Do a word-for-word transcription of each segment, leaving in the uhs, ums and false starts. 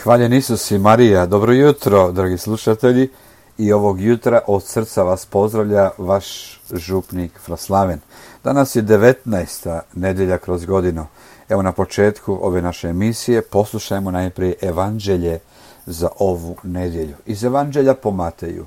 Hvaljen Isus i Marija, dobro jutro, dragi slušatelji, i ovog jutra od srca vas pozdravlja vaš župnik Fraslaven. Danas je devetnaesta nedjelja kroz godinu. Evo na početku ove naše emisije poslušajmo najprije evanđelje za ovu nedjelju. Iz evanđelja po Mateju.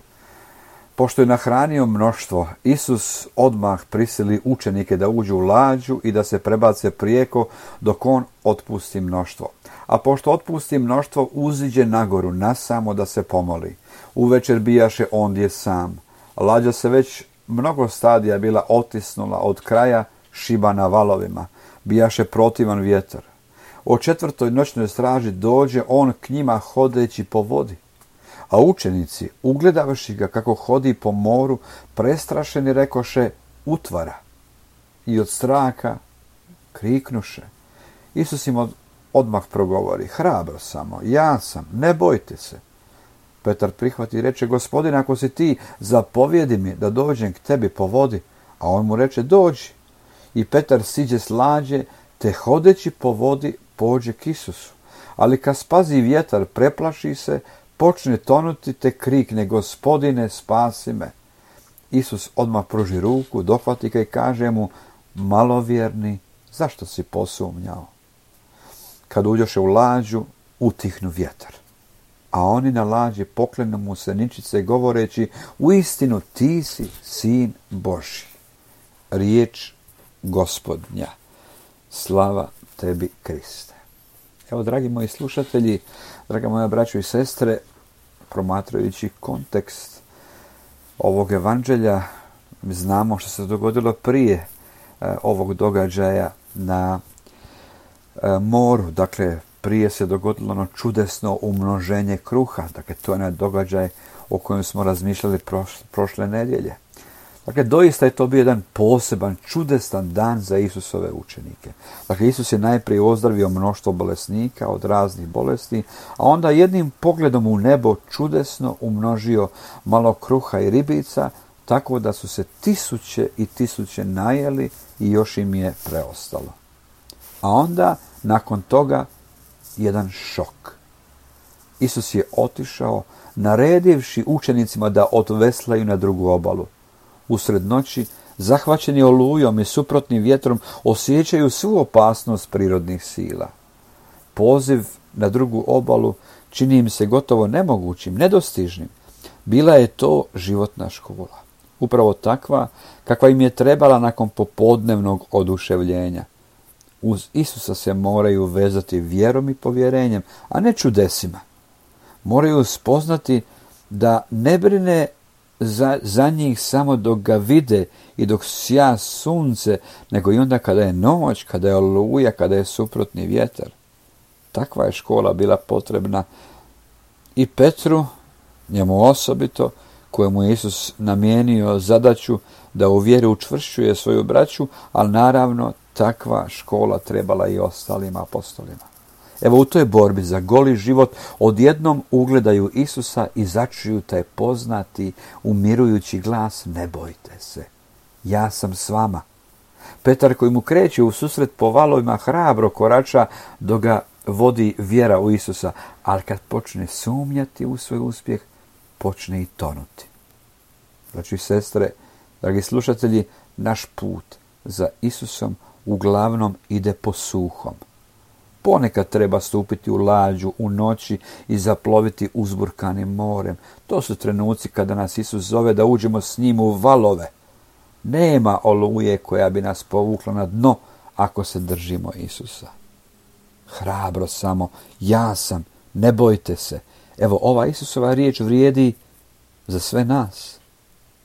Pošto je nahranio mnoštvo, Isus odmah prisili učenike da uđu u lađu i da se prebace prijeko dok on otpusti mnoštvo. A pošto otpusti mnoštvo, uziđe nagoru nasamo da se pomoli. Uvečer bijaše ondje sam. Lađa se već mnogo stadija bila otisnula od kraja, šiba na valovima. Bijaše protivan vjetar. O četvrtoj noćnoj straži dođe on k njima hodeći po vodi. A učenici, ugledavši ga kako hodi po moru, prestrašeni rekoše, utvara. I od straha kriknuše. Isus im od, odmah progovori, hrabro samo, ja sam, ne bojte se. Petar prihvati i reče, Gospodine, ako si ti, zapovjedi mi da dođem k tebi po vodi. A on mu reče, dođi. I Petar siđe s lađe, te hodeći po vodi pođe k Isusu. Ali kad spazi vjetar, preplaši se, počne tonuti, te krikne, Gospodine, spasi me. Isus odmah pruži ruku, dohvati ga i kaže mu, malovjerni, zašto si posumnjao? Kad uđoše u lađu, utihnu vjetar. A oni na lađi poklenu mu se ničice govoreći, uistinu ti si sin Božji. Riječ Gospodnja. Slava tebi, Kriste. Evo, dragi moji slušatelji, draga moja braćo i sestre, promatrajući kontekst ovog evanđelja, znamo što se dogodilo prije e, ovog događaja na e, moru. Dakle, prije se dogodilo ono čudesno umnoženje kruha. Dakle, to je onaj događaj o kojem smo razmišljali prošle, prošle nedjelje. Dakle, doista je to bio jedan poseban, čudesan dan za Isusove učenike. Dakle, Isus je najprije ozdravio mnoštvo bolesnika od raznih bolesti, a onda jednim pogledom u nebo čudesno umnožio malo kruha i ribica, tako da su se tisuće i tisuće najeli i još im je preostalo. A onda, nakon toga, jedan šok. Isus je otišao, naredivši učenicima da odveslaju na drugu obalu. Usred noći, zahvaćeni olujom i suprotnim vjetrom, osjećaju svu opasnost prirodnih sila. Poziv na drugu obalu čini im se gotovo nemogućim, nedostižnim. Bila je to životna škola. Upravo takva kakva im je trebala nakon popodnevnog oduševljenja. Uz Isusa se moraju vezati vjerom i povjerenjem, a ne čudesima. Moraju spoznati da ne brine Za, za njih samo dok ga vide i dok sja sunce, nego i onda kada je noć, kada je oluja, kada je suprotni vjetar. Takva je škola bila potrebna i Petru, njemu osobito, kojemu je Isus namijenio zadaću da u vjeri učvršćuje svoju braću, ali naravno takva škola trebala i ostalim apostolima. Evo, u toj borbi za goli život odjednom ugledaju Isusa i začuju taj poznati, umirujući glas, ne bojte se, ja sam s vama. Petar, koji mu kreće u susret po valovima, hrabro korača dok ga vodi vjera u Isusa, ali kad počne sumnjati u svoj uspjeh, počne i tonuti. Braći i sestre, dragi slušatelji, naš put za Isusom uglavnom ide po suhom. Ponekad treba stupiti u lađu u noći i zaploviti uzburkanim morem. To su trenuci kada nas Isus zove da uđemo s njim u valove. Nema oluje koja bi nas povukla na dno ako se držimo Isusa. Hrabro samo, ja sam, ne bojte se. Evo, ova Isusova riječ vrijedi za sve nas.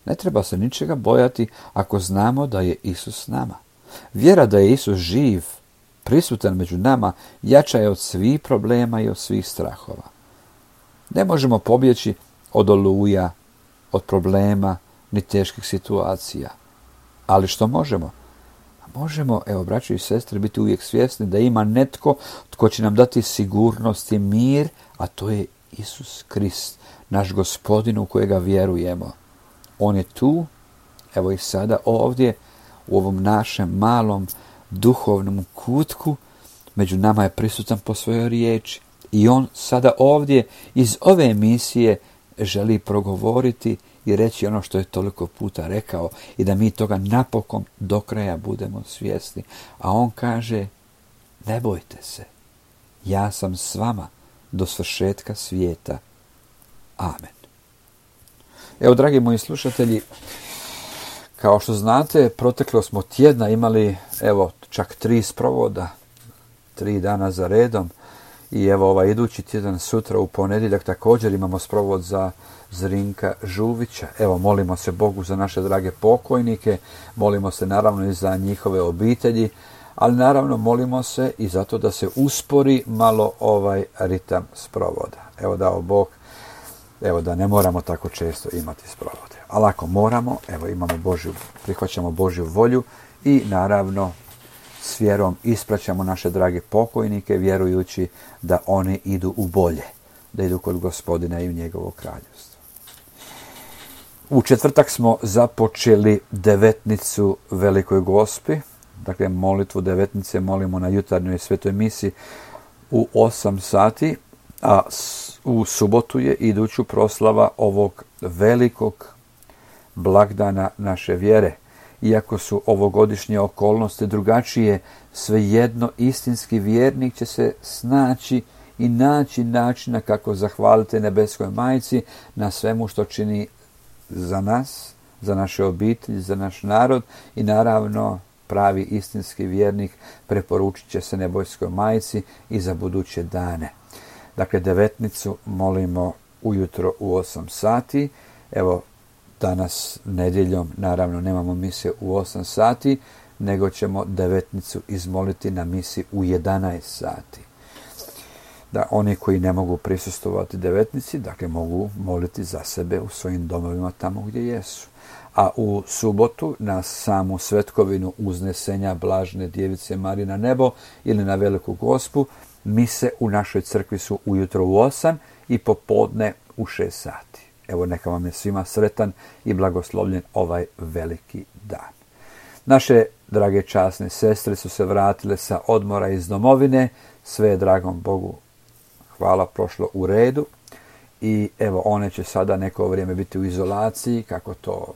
Ne treba se ničega bojati ako znamo da je Isus s nama. Vjera da je Isus živ, prisutan među nama, jača je od svih problema i od svih strahova. Ne možemo pobjeći od oluja, od problema, ni teških situacija. Ali što možemo? Možemo, evo, braćo i sestre, biti uvijek svjesni da ima netko tko će nam dati sigurnost i mir, a to je Isus Krist, naš Gospodin u kojega vjerujemo. On je tu, evo i sada ovdje, u ovom našem malom duhovnom kutku, među nama je prisutan po svojoj riječi I on sada ovdje iz ove emisije želi progovoriti i reći ono što je toliko puta rekao i da mi toga napokon do kraja budemo svjesni. A on kaže, ne bojte se, ja sam s vama do svršetka svijeta. Amen. Evo, dragi moji slušatelji, kao što znate, proteklo smo tjedna imali, evo, čak tri sprovoda, tri dana za redom. I evo ovaj idući tjedan sutra u ponedjeljak također imamo sprovod za Zrinka Žuvića. Evo, molimo se Bogu za naše drage pokojnike, molimo se naravno i za njihove obitelji, ali naravno molimo se i zato da se uspori malo ovaj ritam sprovoda. Evo, dao Bog, evo da ne moramo tako često imati sprovode. Ali ako moramo, evo imamo Božju, prihvaćamo Božju volju i naravno s vjerom ispraćamo naše drage pokojnike, vjerujući da oni idu u bolje, da idu kod Gospodina i u njegovo kraljevstvo. U četvrtak smo započeli devetnicu Velikoj Gospi, dakle molitvu devetnice molimo na jutarnjoj svetoj misi u osam sati, a u subotu je iduću proslava ovog velikog blagdana naše vjere. Iako su ovogodišnje okolnosti drugačije, svejedno istinski vjernik će se snaći i naći načina kako zahvaliti nebeskoj majci na svemu što čini za nas, za naše obitelji, za naš narod i naravno pravi istinski vjernik preporučit će se nebeskoj majci i za buduće dane. Dakle, devetnicu molimo ujutro u osam sati. Evo, danas nedjeljom naravno nemamo mise u osam sati, nego ćemo devetnicu izmoliti na misi u jedanaest sati. Da oni koji ne mogu prisustvovati devetnici, dakle mogu moliti za sebe u svojim domovima tamo gdje jesu. A u subotu na samu svetkovinu uznesenja Blažene Djevice Marije na nebo ili na Veliku Gospu, mise u našoj crkvi su ujutro u osam i popodne u šest sati. Evo, neka vam je svima sretan i blagoslovljen ovaj veliki dan. Naše drage časne sestre su se vratile sa odmora iz domovine, sve je dragom Bogu hvala prošlo u redu i evo one će sada neko vrijeme biti u izolaciji, kako to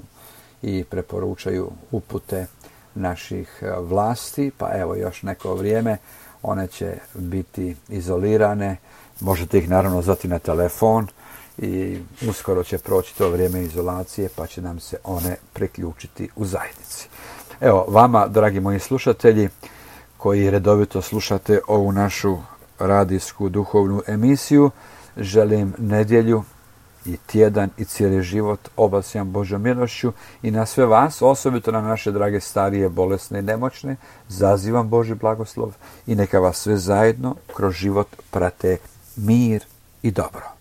i preporučaju upute naših vlasti, pa evo još neko vrijeme one će biti izolirane, možete ih naravno zvati na telefon i uskoro će proći to vrijeme izolacije pa će nam se one priključiti u zajednici. Evo, vama, dragi moji slušatelji, koji redovito slušate ovu našu radijsku duhovnu emisiju, želim nedjelju i tjedan i cijeli život obasjam Božjom milošću i na sve vas, osobito na naše drage starije, bolesne i nemoćne, zazivam Božji blagoslov i neka vas sve zajedno kroz život prate mir i dobro.